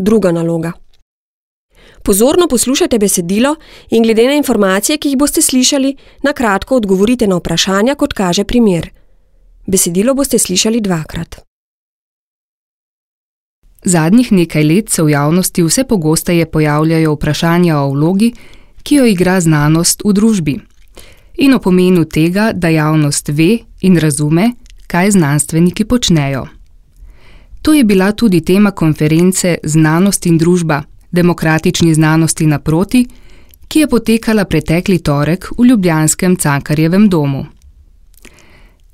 Druga naloga. Pozorno poslušajte besedilo in glede na informacije, ki jih boste slišali, na kratko odgovorite na vprašanja, kot kaže primer. Besedilo boste slišali 2-krat. Zadnjih nekaj let se v javnosti vse pogosteje pojavljajo vprašanja o vlogi, ki jo igra znanost v družbi, in o pomenu tega, da javnost ve in razume, kaj znanstveniki počnejo. To je bila tudi tema konference Znanost in družba, demokratični znanosti naproti, ki je potekala pretekli torek v ljubljanskem Cankarjevem domu.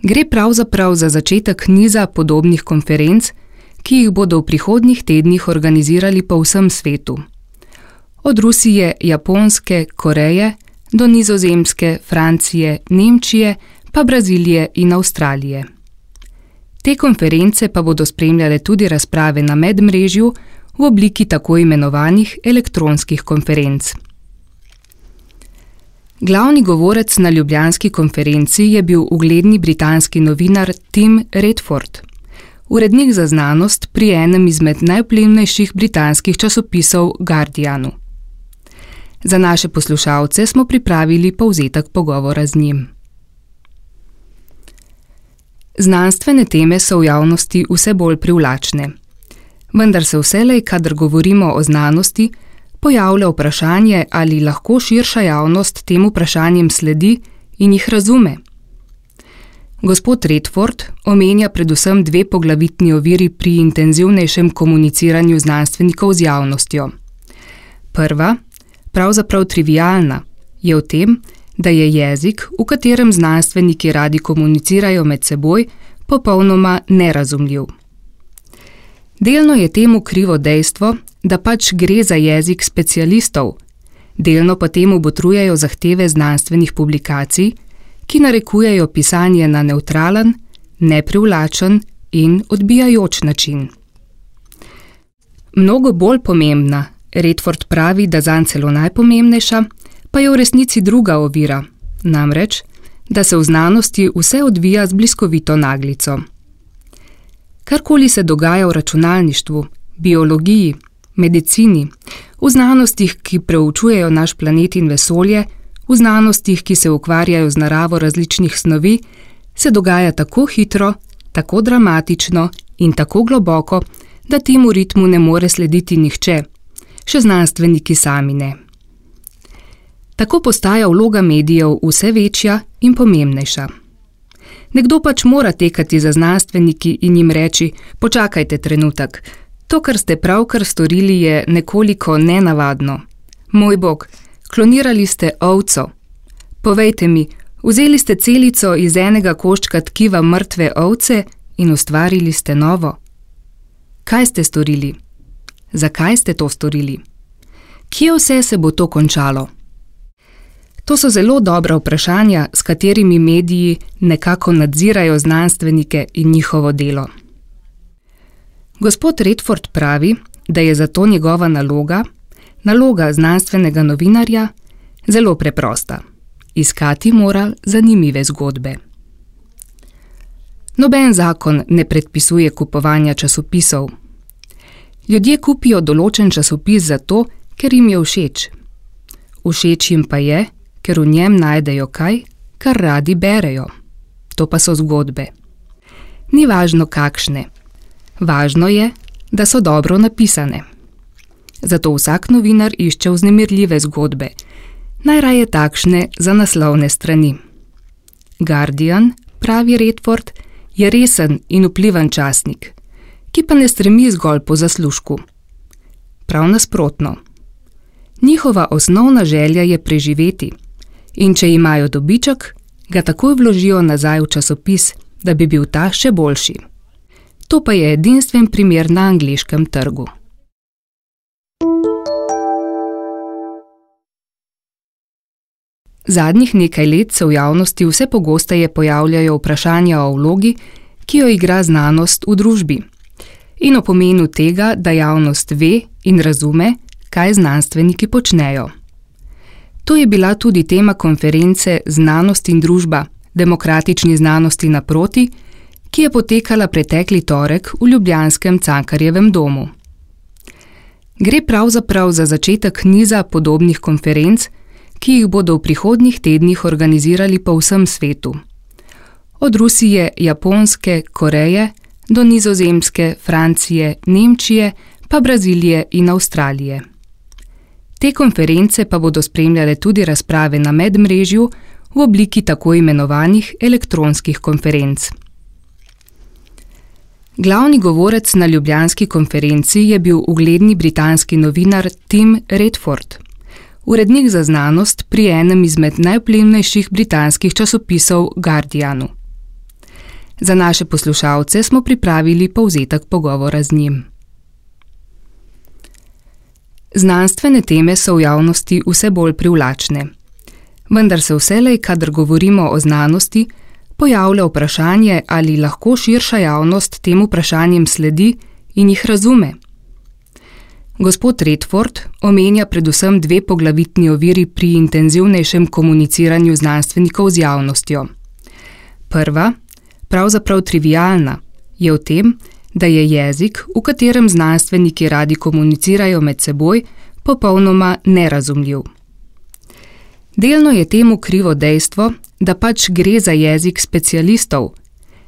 Gre pravzaprav za začetek niza podobnih konferenc, ki jih bodo v prihodnjih tednih organizirali po vsem svetu. Od Rusije, Japonske, Koreje do Nizozemske, Francije, Nemčije pa Brazilije in Avstralije. Te konference pa bodo spremljale tudi razprave na medmrežju v obliki tako imenovanih elektronskih konferenc. Glavni govorec na ljubljanski konferenci je bil ugledni britanski novinar Tim Redford, urednik za znanost pri enem izmed najvplivnejših britanskih časopisov Guardianu. Za naše poslušalce smo pripravili povzetek pogovora z njim. Znanstvene teme so v javnosti vse bolj privlačne. Vendar se vselej, kadar govorimo o znanosti, pojavlja vprašanje, ali lahko širša javnost tem vprašanjem sledi in jih razume. Gospod Redford omenja predvsem 2 poglavitni oviri pri intenzivnejšem komuniciranju znanstvenikov z javnostjo. Prva, pravzaprav trivialna, je v tem, da je jezik, v katerem znanstveniki radi komunicirajo med seboj, popolnoma nerazumljiv. Delno je temu krivo dejstvo, da pač gre za jezik specialistov, delno pa temu botrujejo zahteve znanstvenih publikacij, ki narekujejo pisanje na nevtralen, neprivlačen in odbijajoč način. Mnogo bolj pomembna, Redford pravi, da zanj celo najpomembnejša, pa je v resnici druga ovira, namreč, da se v znanosti vse odvija z bliskovito naglico. Karkoli se dogaja v računalništvu, biologiji, medicini, v znanostih, ki preučujejo naš planet in vesolje, v znanostih, ki se ukvarjajo z naravo različnih snovi, se dogaja tako hitro, tako dramatično in tako globoko, da temu ritmu ne more slediti nihče, še znanstveniki sami ne. Tako postaja vloga medijev vse večja in pomembnejša. Nekdo pač mora tekati za znanstveniki in jim reči: počakajte trenutek, to, kar ste pravkar storili, je nekoliko nenavadno. Moj bog, klonirali ste ovco. Povejte mi, vzeli ste celico iz enega koščka tkiva mrtve ovce in ustvarili ste novo. Kaj ste storili? Zakaj ste to storili? Kje vse se bo to končalo? To so zelo dobra vprašanja, s katerimi mediji nekako nadzirajo znanstvenike in njihovo delo. Gospod Redford pravi, da je zato njegova naloga znanstvenega novinarja, zelo preprosta. Iskati mora zanimive zgodbe. Noben zakon ne predpisuje kupovanja časopisov. Ljudje kupijo določen časopis zato, ker jim je všeč. Všeč jim pa je, ker v njem najdejo kaj, kar radi berejo. To pa so zgodbe. Ni važno kakšne. Važno je, da so dobro napisane. Zato vsak novinar išče vznemirljive zgodbe, najraje takšne za naslovne strani. Guardian, pravi Redford, je resen in vplivan časnik, ki pa ne stremi zgolj po zaslužku. Prav nasprotno. Njihova osnovna želja je preživeti in če imajo dobiček, ga takoj vložijo nazaj v časopis, da bi bil ta še boljši. To pa je edinstven primer na angleškem trgu. Zadnjih nekaj let se v javnosti vse pogosteje pojavljajo vprašanja o vlogi, ki jo igra znanost v družbi, in o pomenu tega, da javnost ve in razume, kaj znanstveniki počnejo. To je bila tudi tema konference Znanost in družba, demokratični znanosti naproti, ki je potekala pretekli torek v ljubljanskem Cankarjevem domu. Gre pravzaprav za začetek niza podobnih konferenc, ki jih bodo v prihodnjih tednih organizirali po vsem svetu. Od Rusije, Japonske, Koreje do Nizozemske, Francije, Nemčije, pa Brazilije in Avstralije. Te konference pa bodo spremljale tudi razprave na medmrežju v obliki tako imenovanih elektronskih konferenc. Glavni govorec na ljubljanski konferenci je bil ugledni britanski novinar Tim Redford, urednik za znanost pri enem izmed najvplivnejših britanskih časopisov Guardianu. Za naše poslušalce smo pripravili povzetek pogovora z njim. Znanstvene teme so v javnosti vse bolj privlačne. Vendar se vselej, kadar govorimo o znanosti, pojavlja vprašanje, ali lahko širša javnost tem vprašanjem sledi in jih razume. Gospod Redford omenja predvsem dve poglavitni oviri pri intenzivnejšem komuniciranju znanstvenikov z javnostjo. Prva, pravzaprav trivialna, je v tem, da je jezik, v katerem znanstveniki radi komunicirajo med seboj, popolnoma nerazumljiv. Delno je temu krivo dejstvo, da pač gre za jezik specialistov,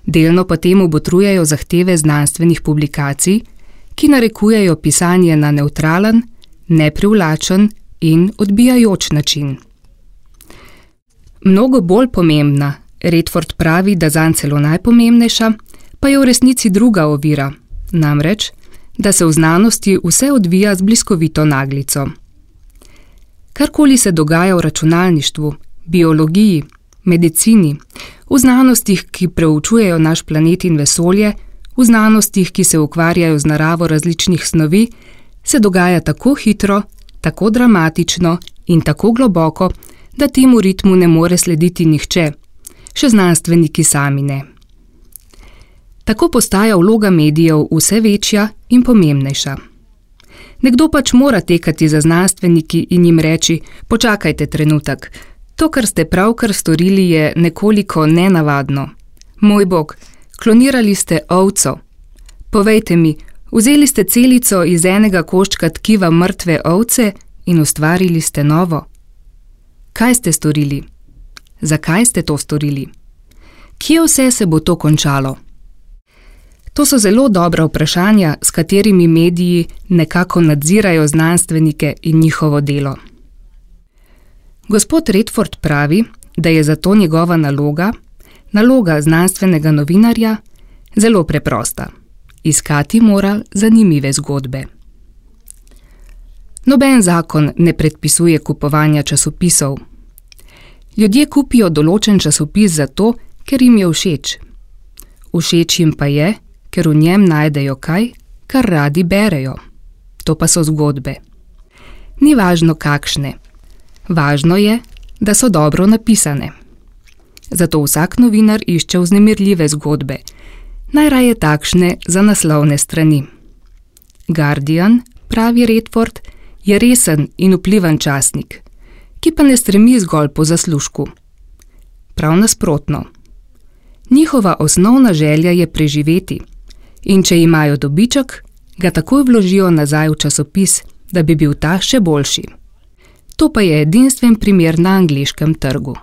delno pa temu botrujejo zahteve znanstvenih publikacij, ki narekujejo pisanje na nevtralen, neprivlačen in odbijajoč način. Mnogo bolj pomembna, Redford pravi, da zanj celo najpomembnejša, pa je v resnici druga ovira, namreč, da se v znanosti vse odvija z bliskovito naglico. Karkoli se dogaja v računalništvu, biologiji, medicini, v znanostih, ki preučujejo naš planet in vesolje, v znanostih, ki se ukvarjajo z naravo različnih snovi, se dogaja tako hitro, tako dramatično in tako globoko, da temu ritmu ne more slediti nihče, še znanstveniki sami ne. Tako postaja vloga medijev vse večja in pomembnejša. Nekdo pač mora tekati za znanstveniki in jim reči: počakajte trenutek, to, kar ste pravkar storili, je nekoliko nenavadno. Moj bog, klonirali ste ovco. Povejte mi, vzeli ste celico iz enega koščka tkiva mrtve ovce in ustvarili ste novo. Kaj ste storili? Zakaj ste to storili? Kje vse se bo to končalo? To so zelo dobra vprašanja, s katerimi mediji nekako nadzirajo znanstvenike in njihovo delo. Gospod Redford pravi, da je zato njegova naloga znanstvenega novinarja, zelo preprosta. Iskati mora zanimive zgodbe. Noben zakon ne predpisuje kupovanja časopisov. Ljudje kupijo določen časopis zato, ker jim je všeč. Všeč jim pa je, ker v njem najdejo kaj, kar radi berejo. To pa so zgodbe. Ni važno kakšne. Važno je, da so dobro napisane. Zato vsak novinar išče vznemirljive zgodbe, najraje takšne za naslovne strani. Guardian, pravi Redford, je resen in vplivan časnik, ki pa ne stremi zgolj po zaslužku. Prav nasprotno. Njihova osnovna želja je preživeti in če imajo dobiček, ga takoj vložijo nazaj v časopis, da bi bil ta še boljši. To pa je edinstven primer na angleškem trgu.